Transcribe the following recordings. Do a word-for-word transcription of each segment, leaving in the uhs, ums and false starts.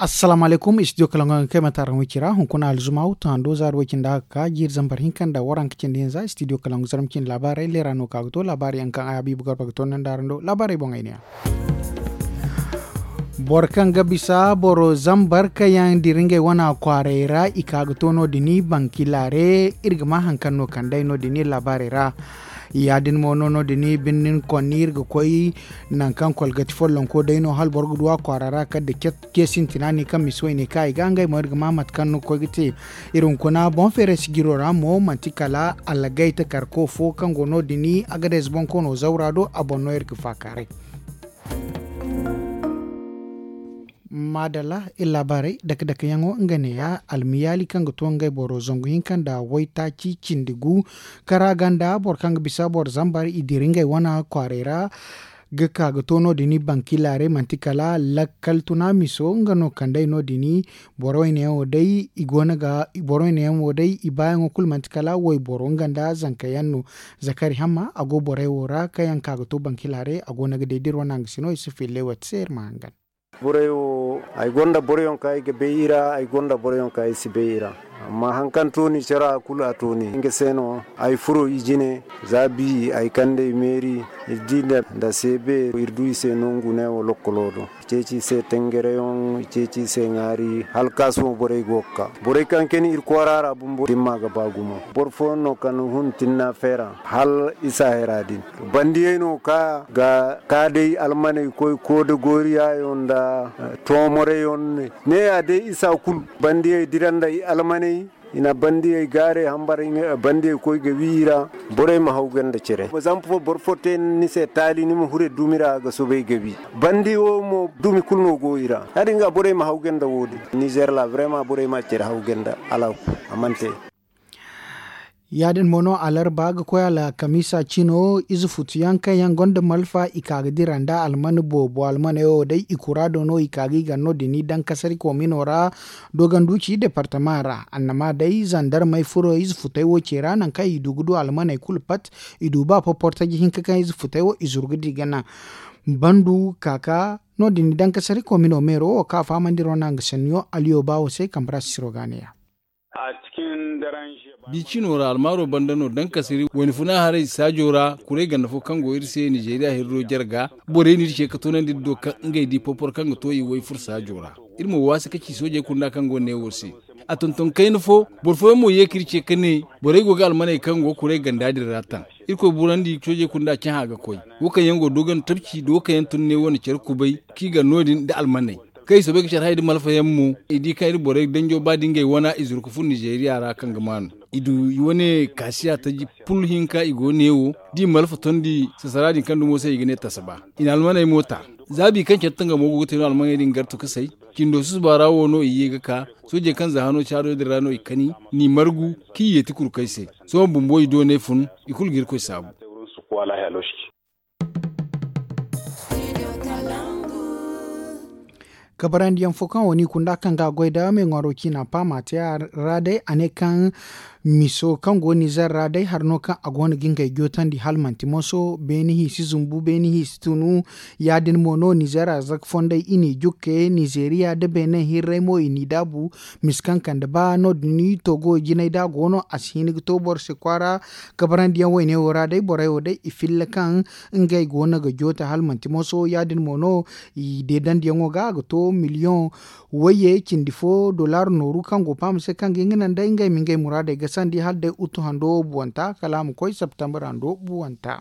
Assalaamu alaykum, studio kalaŋ ga kay mate araŋ wicira hunkuna alzuma wuttu hando zaari way cindi haka ka jiiri zambar hinka nda waranka cindi hinza studio kalaŋ ga zarma cindi laabaarey leera no ka ga to laabaari yaŋ kaŋ ay habiibu garba ga to nanda araŋ do laabaarey boŋ ay ne yaŋ. Boro kaŋ ga bisa boro zambar kaŋ yaŋ dira ngey wana kwaaray ra i ka ga to no- din bankilaare. Iri ga ma hari kaŋ no kand'ey no- din iri laabaarey ra. Ya- din mo no no- din birnin konni iri ga koy nangu kaŋ kolgati follonko day no hala boro ga du a kwaara ra kala da ce sintina ne kaŋ misi wayne kaŋ i ga ngey mo iri ga ma mate kaŋ no ga koy ga te. Iri hunkuna boŋ feeray sijiro ra mo manti kala alagay takarko fo kaŋ go no- din agades boŋ koono zawra do a boŋ no iri ga faakaaray. Maadalla, iri laabaarey dake dake yaŋo nga neeya almiyaali kaŋ ga to ngey boro zangu hinka nda waytaaci cindi gu. Kara ganda boro kaŋ ga bisa boro zambar i dira ngey wana kwaaray ra ga ka ga to no- din bankilaare manti kala lakkal tuna miso nga no kand'ey no- din. Boro wayne yaŋo day i go no ga boro wayne yaŋo day i baayaŋo kulu manti kala wayboro nga nda zanka yaŋ no. Zakari hamma a go borey wo ra kaŋ yaŋ ka ga to bankilaare a go no ga day da iri wane hangasino i si fille wate se iri ma hangan. Borey wo ay gonda boroyaŋ kaŋ ay ga bay i ra ay gonda boroyaŋ kaŋ ay si bay i ra. Amma hari kaŋ tooni care a kulu a tooni nga se no ay furo i jine. Za bi ay kande i meeri iri di nda seebe iri du i se no ngune wo lokkolo do. I ceeci i se tengereyaŋ i ceeci i se ŋaari hala kaasumo borey go ga ka borey kaŋ kani iri kwaara ra bumbo dimma ga ba gumo. Boro fooyaŋ no kaŋ hun tinna feera hala isa hera din. Bandiyey no ka ga ka day almaney koy kooda gooriyayaŋ nda toomoreyaŋ. Neeya day isa kulu bandiyey dira nda i almaney i na bandiyey gaarey hambar bandiyey koy ga wi i ra. Borey ma haw ganda cere zama fo boro fo te ni se taali ni ma hure dumi ra ga soobay ga wi. Bandi wo mo dumi kulu no go i ra ya- din ga borey ma haw ganda wo- din nizer ra vraiment borey ma cere haw ganda alaaku a mana te. Ya- din mo no alarba ga koy alkamiisa cino ize futu yaŋ kaŋ yaŋ gonda malfa i ka ga dira nda alman boobo almaney wo day i kuraado no i ka ga i gar no- din dankasari koomino ra. Doganduci departama ra annama day zandarmey furo ize futey wo ce ra nangu kaŋ i du ga du almaney kulu pat. I du ba poportaji hinka kaŋ ize futey wo i zuru ga di ga naŋ bandu ka ka no- din dankasari koomino meero wo kaŋ a fahamandi ro naŋ ga sanniyo aliyo ba wo se kambe ra sisiro ga a ne ya. Bi cino ra almaaro banda no dankasiri wayna funa haray saajo ra kuray ganda fo kaŋ go iri se nizeeriya hirro jarga. Borey no iri ce ga toonandi iri do kaŋ ngey di popor kaŋ ga to i way furo saajo ra. Iri mo waasi ka ci soojey kunda kaŋ go neewo se. A tonton kayna fo boro fooyaŋ mo ye ka iri ce ka ne borey go ga almaney kaŋ go kuray ganda din ra taŋ. Irkoy burandi soojey kunda cahã ga koy wo kaŋ yaŋ go doogandi tabci da wo kaŋ yaŋ tun ne wane care kubay kaŋ i gar no- din nda almaney. Kaŋ i soobay ga care hay nda malfa yaŋ mo i di kaŋ iri borey danjo ba da ngey wana i zuru ga fun nizeeriya ra kaŋ ga maanu. I du i wane kaasiya taji pul hinka i go neewo da i malfa tondi sasara din kaŋ dumo se i ga ne tasaba. I na almaney mo ta. Zaabi kaŋ care tangamo go ga te no almaney din gartu ga say. Cindo susuba ra wo no i ye ga ka soojey kaŋ za hano caado din ra no i kani n'i margu kaŋ i yeeti kurkey se. Sohõ bumbo i doonay fun i kulu ga irkoy saabu. Kabarandiyaŋ fo kaŋ wo ni kunda kaŋ ga a goy da meeŋwaro ciina paama te a ra day a ne kaŋ miso kaŋ go nizer ra day hari no kaŋ a go no ga ngey jootandi hala manti moso beene hinsi zumbu beene hinsi tunu. Ya- din mo no nizer arzaka fondey i n'i jukke nizeeriya nda beene hirray mo i n'i daabu. Misi kaŋ kande ba no- din togo jinay da a go no a si hin ga to boro se kwaara. Kabarandiyaŋ wayne wo ra day borey wo day i filla kaŋ ngey go no ga joote hala manti moso ya- din mo no i deedandiyaŋo ga a ga to miliyoŋ wayye cindi fo dollar nooru kaŋ go paama se kaŋ ga hin ga naŋ day ngey ma ngey muraadey gasandi hala day uttu hando buwanta kala a ma koy septembre hando buwanta.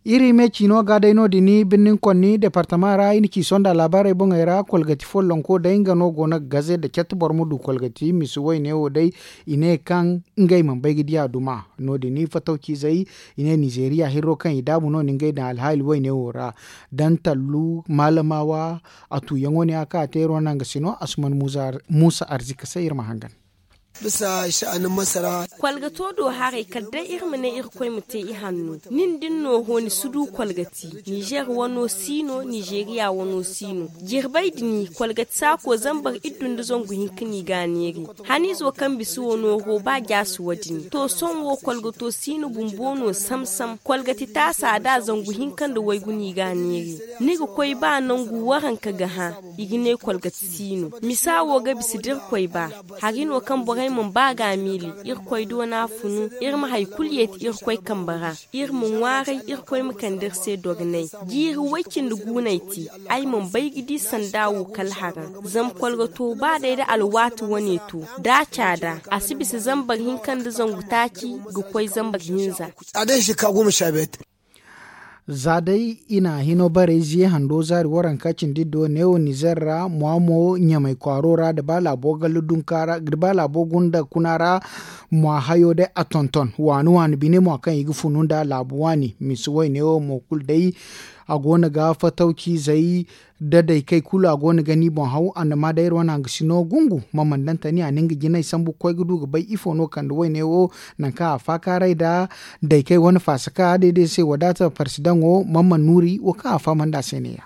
Iri me ciino ga day no- din birnin konni departama ra i na ci sonda laabaarey boŋey ra kolgati follonko day nga no go no ga gaze nda catti boro ma du kolgati misi wayne wo day. I ne kaŋ ngey mana bay ga di a duma no- din fatawcizey i ne nizeeriya hirro kaŋ i daabu no- din ngey daŋ alhaali wayne wo ra. Dantallu maalamawa a tuuyaŋo ne a kaŋ a te iri wane nanga sino asuman muusa arzika se iri ma hangan. Bisa sha'anin masara. Kwalgato do haray kala day iri ma ne irkoy ma te i hanno. Nin din no ho ni si du kwalgati. Nizer wano si no, nizeriya wano si no. Jirbay din kwalgati saako zambar iddu nda zangu hinka no i ga a neeri. Haniizo kaŋ bisa wano ho ba jaasi wo- din to sohõ wo kwalgato si no bumbo no sam-sam. Kwalgati taasa da zangu hinka nda waygu no i ga a neeri. Ni ga koy ba nangu waranka ga hã. I ga ne kwalgati si no misa wo ga bisa da irkoy ba. Hari no kaŋ borey mana ba ga a miili. Irkoy do no a funu iri ma hari kulu yeeti irkoy kambe ra. Iri ma ŋwaaray irkoy ma kande iri se dogonay. Jiiri way-cindi guunay te. Ay mana bay ga di sanda wo kala haraŋ. Zama kwalgato ba day da alwaati wane to da a caada a si bisa zambar hinka nda zangu taaci ga koy zambar hinza. A day shika goma sha biyar. Za day i na hino barey ziye hando zaari waranka cindi do neewo nizer ra mwa mo ɲamay kwaaro ra da ba laabo galla dunka ra da ba laabo gunda kuna ra. Mwa hayo day a tonton waani waani bine mwa kaŋ i ga funu nda laabu waani misi wayne wo mo kulu day. A go no ga fatawci zay da daykey kulu a go no ga ni boŋ haw annama day iri wane hangasino gungu ma mana daŋ tani a na nga jinay sambu ga koy ga du ga bay ifo no kande wayne wo. Nangu kaŋ a faakaaray nda daykey wane faasa kaŋ a day day se wadaata parsidaŋo ma mana nuuri wo kaŋ a fahamandi a se ne- ya.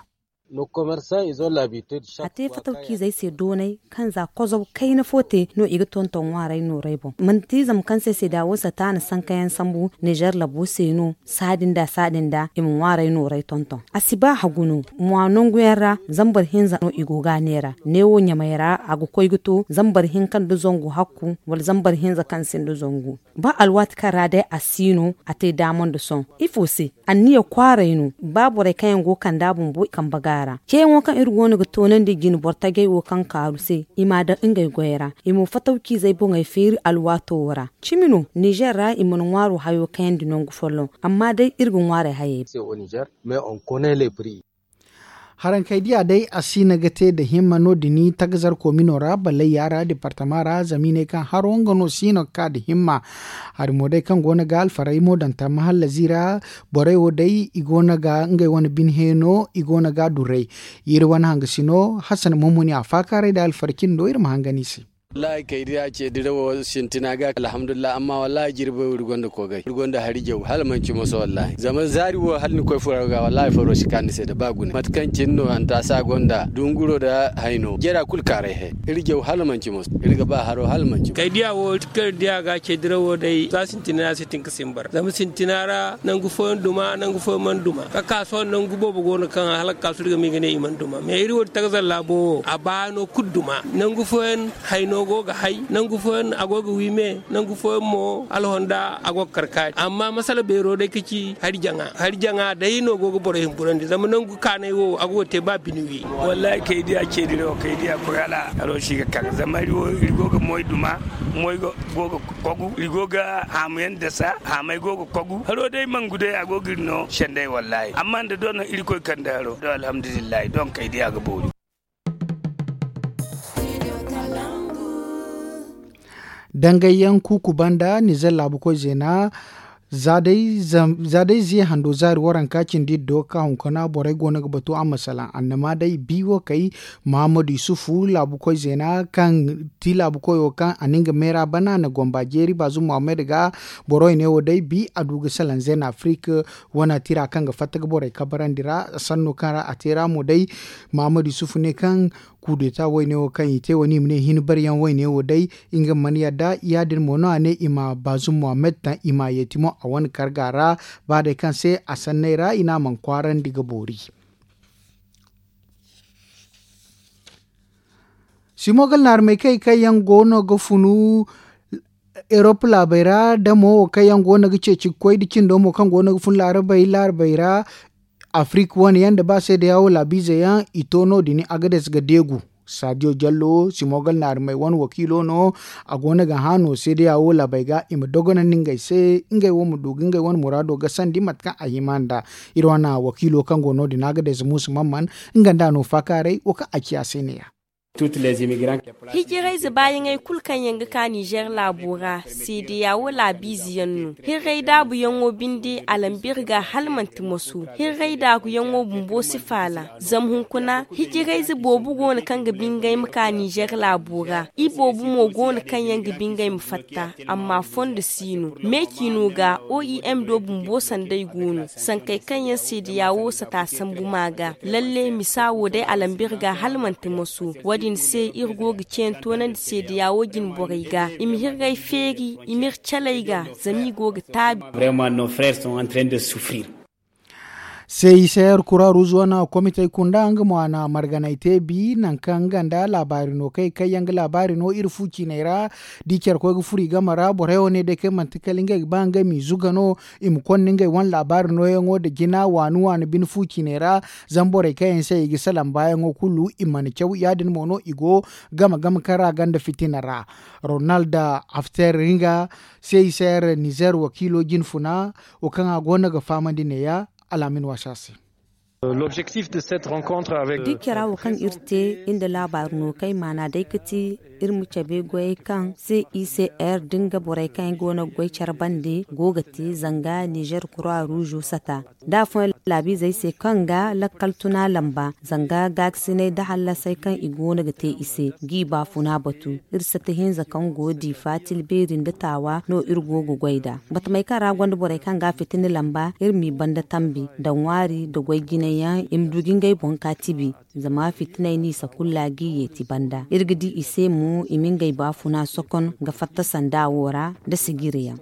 A te fatawciizey se doonay kaŋ za kozow kayna fo te no i ga tonton ŋwaaray nooray boŋ. Manti zama kaŋ se se da wo sataana sankayaŋ sambu nizer labo se no. Saadin da saadin da i ma ŋwaaray nooray tonton a si ba hagu no. Mwa nangu yaŋ ra zambar hinza no i go ga a neera neewo ɲamay ra a ga koy ga to zambar hinka nda zangu hakku wala zambar hinza kaŋ sinda zangu. Ba alwaati kaŋ ra day a si no a te daama nda sohõ ifo se? Anniya kwaaray no ba borey kaŋ yaŋ go ga kand'a bumbo i kambe ga a ra ceeyaŋo kaŋ iri go no ga toonandi jine boro tajey wo kaŋ kaaru se i m'a daŋ ngey goyey ra. I mo fatawciizey boŋey feeri alwaato wo ra. Cimi no nizer ra i mana ŋwaaro hayo kayandi nangu folloŋ. Amma day iri ga ŋwaarey hayey. Harankey diya day a siina ga te nda himma no- din tagazar koomino ra ballayya ra departama ra zama i ne kaŋ haro nga no siina ga ka nda himma. Hari mo day kaŋ go no ga alfaray mo daŋ tamma hallazi ra. Borey wo day i go no ga ngey wane bine heeno i go no ga a duray. Iri wane hangasino hasan mummuni a faakaaray nda alfara cindi no iri ma hangan i se. Wallaahi kay day a ce dirawo sintina ga alhamdulillahi amma wallaahi jirbey wo iri gonda koogay iri gonda hari jaw hala manci moso wallaahi zama zaari wo hala ni koy furo ga wallaahi faro si ka ni se nda ba gune mate kaŋ cine no hantaasa gonda dunguro nda hayno jara kulu kaaray he. Iri jaw hala manci moso iri ga ba haro hala manci moso. Kay diya wo kaŋ iri diya ga ce dirawo day za sintina ya se tin ga simbar zama sintina ra nangu fooyaŋ duma nangu fooyaŋ mana duma ka ka sohõ nangu boobo go no kaŋ hala ga ka su iri ga ma i ga ne i mana duma mais iri wo din tagazar laabo wo a baano kulu duma. Nangu fooyaŋ hayno go ga hay nangu fooyaŋ a go ga wi me nangu fooyaŋ mo alhonda a go ga kar kaari amma masala beero day ka ci hari jaŋa hari jaŋa day no go ga borey humburandi zama nangu kaanay wo a go ga te ba bine wi. Wallaahi kay diya ce dirawo kay diya koy hala haro si ga kar zama iri go ga moy duma moy go ga kogu iri go ga haamu yaŋ dasa haamay go ga kogu haro day mangu day a go ga iri no sendey wallaahi amma nda doŋ no irkoy kande haro do alhamdulillahi doŋ kay diya ga boori. Dangayyaŋ kuuku banda nizer laabu koy zeena za day ziya hando zaari waranka cindi iri do ga ka hunkuna borey go no ga batu a ma salaŋ annama day bi wo kay. Mahamadu yusufu laabu koy zeena kaŋ ti laabu koyo kaŋ a na nga meera bana na gomba jeeri baazum muhammad ga. Boro i ne wo day bi a du ga salaŋ zeena afirik wane tira kaŋ ga fatta ga borey kabarandi ra sanno kaŋ ra a te ra mo day. Mahamadu yusufu ne kaŋ kudeta wayne wo kaŋ i te wane i ma ne hin bariyaŋ wayne wo day nga mana yadda ya- din mo no a ne i ma baazum muhammad taŋ i ma yeeti mo a wane karga ra. Ba day kaŋ se a sanney ra i ne a mana kwaarandi ga boori. Simo gal naarmey kay kaŋ yaŋ go no ga funu erop laabey ra da mo wo kaŋ yaŋ go no ga ceeci ga koy da cindo mo kaŋ go no ga fun laarabey laarabey ra. Afirik wane yaŋ da ba seedeya wo laabiize yaŋ i to no- din agades ga deegu. Saadiyo jallo simo gal naarmey wane wakiilo no. A go no ga hã no seedeya wo laabey ga i ma dogonandi ngey se ngey wo ma du ga ngey wane muraado gasandi mate kaŋ a hima nd'a. Iri wane wakiilo kaŋ go no- din agades muusa mamman nga nd'a no faakaaray wo kaŋ a ci a se ne- ya. Hijirayze baayaŋey kulu kaŋ yaŋ ga ka nizeer laabo ra, seedeya wo laabiize yaŋ no. Hirray daabuyaŋo binde a lamba iri ga hala manti moso. Hirray daabuyaŋo bumbo si faala. Zama hunkuna hijirayze boobo go no kaŋ ga bingay ma ka nizeer laabo ra. Iboobo mo go no kaŋ yaŋ ga bingay ma fatta. Amma fondo si no. Me ciino ga o i m do bumbo sanday go no. Sankey kaŋ yaŋ seedeya wo sata sambu ma ga. Lalle misa wo day a lamba iri ga hala manti moso. Wo- din se iri go ga ceeyaŋ toonandi seedeya wo jine borey ga i ma hirray feeri i ma iri caley ga. Zama i go ga taabi. Seeyi seer kura ruuz wane komitey kunda nga mo a na marganay te bi nangu kaŋ nga nda laabaari no kay kaŋ yaŋ ga laabaari no iri fu ciiney ra. Da i care koy ga furo i game ra borey wane day kaŋ manti kala ngey ga ba ngey m'i zuga no. I ma konda ngey wane laabaari nooyaŋo nda jina waani waani bine fu ciiney ra. Zama borey kaŋ yaŋ se i ga salaŋ baayaŋo kulu i mana caw ya- din mo no i go game game kaŋ ra ganda fitina ra. Ronald after ringa seeyi seer nizeer wakiilo jine funa wo kaŋ a go no ga fahamandi neeya. Alaamin waasi a se. Da care wo kaŋ iri te nda laabaari no kaŋ ay maana day ga ti iri ma cabe goyey kaŋ se i se r da nga borey kaŋ yaŋ go no ga goy care bande go ga te zanga nizeer kura ruuzo sata da afooyaŋ laabiizey se kaŋ ga lakkal tuna lamba zanga gaakasinay da hallasey kaŋ i go no ga te i se g'i baafuna batu. Iri sata hinza kaŋ go diifa tila beeri nda taawa no iri go ga goy nd'a. Batamey kaŋ ra gonda borey kaŋ ga a fitina lamba iri m'i banda tambi nda ŋwaari nda goy jinay yaŋ i ma du ga ngey boŋ ka tibi. Zama fitiney no i sakulla g'i yeeti banda iri ga di i se mo i ma ngey baafuna sokon ga fatta sanda wo ra nda sijiri yaŋ.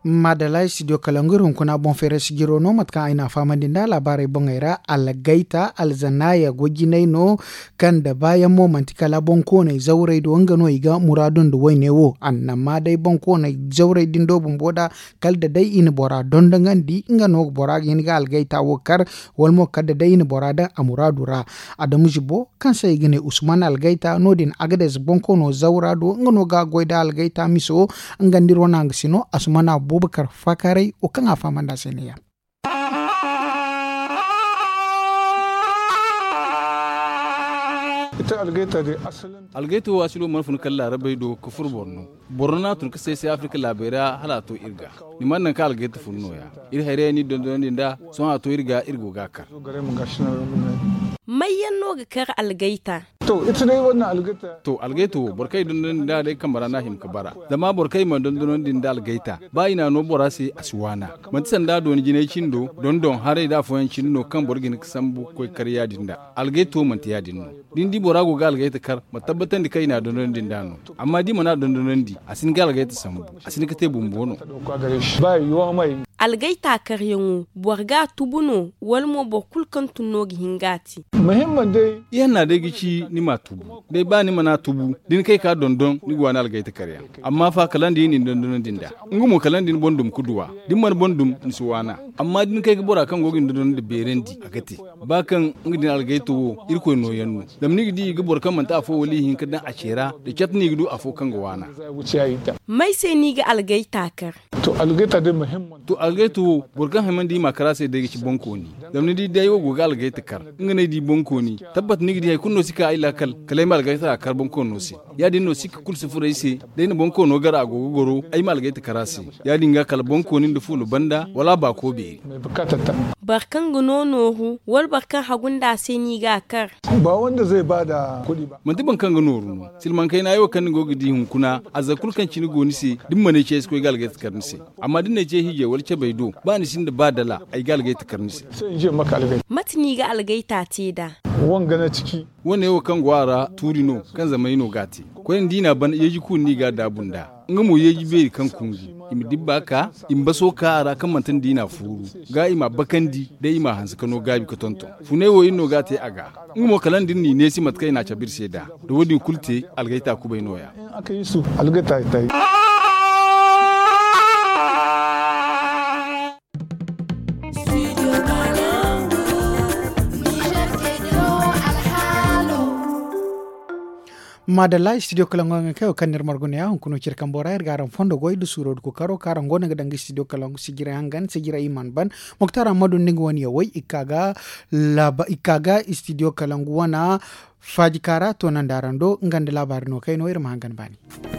Maadalla studio kalangu iri hunkuna boŋ feeray sijiro no mate kaŋ ay n'a fahamandi nd'a laabaarey boŋey ra algayta alzanaaya goy jinay no. Kaŋ nda baayaŋ mo manti kala boŋkooney zawrey do nga no i ga muraadu nda wayne wo annama day boŋkooney zawrey din do bumbo nd'a. Kala da day i na bora dondonandi nga no bora ga hin ga algayta wo kar. Wala mo kala da day i na bora daŋ a muraadu ra. Adamu zibo kaŋ se i ga ne usman algayta no- din agades bonkoono zawra do nga no ga goy nda algayta miso. Nga nda iri wane hangasino asumana abubakar fakaray wo kaŋ a fahamandi a se ne- ya. Algayta wo asilo mana fun kala laarabey do ga furo borno. Borno no a tun ga say-say afirka laabey ra hala a to iri ga. Ni mana naŋ kaŋ algayta fun no- ya. Iri hayray yaŋ no iri dondonandi nd'a. Sohõ a to iri ga iri go ga a kar. May yaŋ no ga kar algayta? To algayta wo boro kaŋ i dondonandi nd'a day kambe ra no a hima ga bara. Zama boro kaŋ i mana dondonandi nda algayta ba i n'a no bora se a si waana. Manti sanda dooni jinay cindo dondon haray nda afooyaŋ cindi no kaŋ boro ga hin ga sambu ga koy ga kar ya- din nd'a. Algayta wo manti ya- din no. Da ni di bora go ga algayta kar ma tabbatandi kaŋ i n'a dondonandi nd'a no. Amma da i mana dondonandi a si hin ga algayta sambu. A si hin ga te bumbo no. Algayta karyaŋo boro ga a tubu no wala mo boro kulu kaŋ tun no ga hin ga a te? Ihanna day ga ci ni m'a tubu. Day ba ni mana a tubu da ni kay ka dondon ni ga waani algayta karyaŋ. Amma fa kala nda i na ni dondonandi nd'a. Nga mo kala nda ni boŋ dum ga duw'a. Da ni mana boŋ dum ni si waan'a. Amma da ni kay ga bora kaŋ go ga ni dondonandi beerandi a ga te. Ba kaŋ nga din algayta wo irkoy nooyaŋ no. Zama ni ga di i ga boro kaŋ manti afo wala ihinka daŋ a ce ra da cat no i ga du afo kaŋ ga waan'a. May se no i ga algayta kar? To algayta wo boro kaŋ hima nda i m'a kar a se day ga ci boŋkooni. Zama ni di day wo go ga algayta kar nga no ay di boŋkooni. Tabbat ni ga di hari kulu no si ka ay laakal kala ay ma algayta kar boŋkoono se. Ya- din no sikka kulu si furo ay se. Da ay na boŋkoono gar a go ga goro ay ma algayta kar a se. Ya- din ga kala boŋkooni nda fuula banda wala a baako beeri. Boro kaŋ ga no nooru wala boro kaŋ hagu nda a se no i ga a kar? Manti boro kaŋ ga nooru no. Silmaŋ kayna yaŋ wo kaŋ ni go ga di hunkuna arzaka kulu kaŋ cine go ni se. Da ni mana ay ce ay si koy ga algayta kar ni se. Amma da ni na ay ce hiijay wala cabay do ba ni sinda ba dala ay ga algayta kar ni se. Mate no i ga algayta te nd'a? Wane wo kaŋ go a ra tuuri no kaŋ zamey no ga a te. Koyne da i n'a ban yeeji kuuri no i ga a daabu nd'a. Nga mo yeeji beeri kaŋ kungu i ma dibba ka i ma baso ka a ra kaŋ manti nda i n'a fuuru ga i m'a bakandi day i m'a hanse ka no gaabi ga tonton. Funay wo iri no ga a te a ga. Nga mo kala nda iri n'i neesi mate kaŋ i n'a cabe iri se nd'a. Da wo- din kulu te algayta kubay nooya. Maadalla istidiyo kalangu hangan kaŋ yaŋ kaŋ no iri margu ne ya hunkuna cire kambo ra iri ga araŋ fondo goy nda suuro nda kookaro kaŋ araŋ go no ga daŋ ga istidiyo kalangu sijira hangan sijira i mana ban. Muktar ammadu nda nga wane yawey i ga ka ga laaba i ga ka ga istidiyo kalangu wana faaji kaara toonandi araŋ do nga nda laabaari no kayno iri ma hangan baani.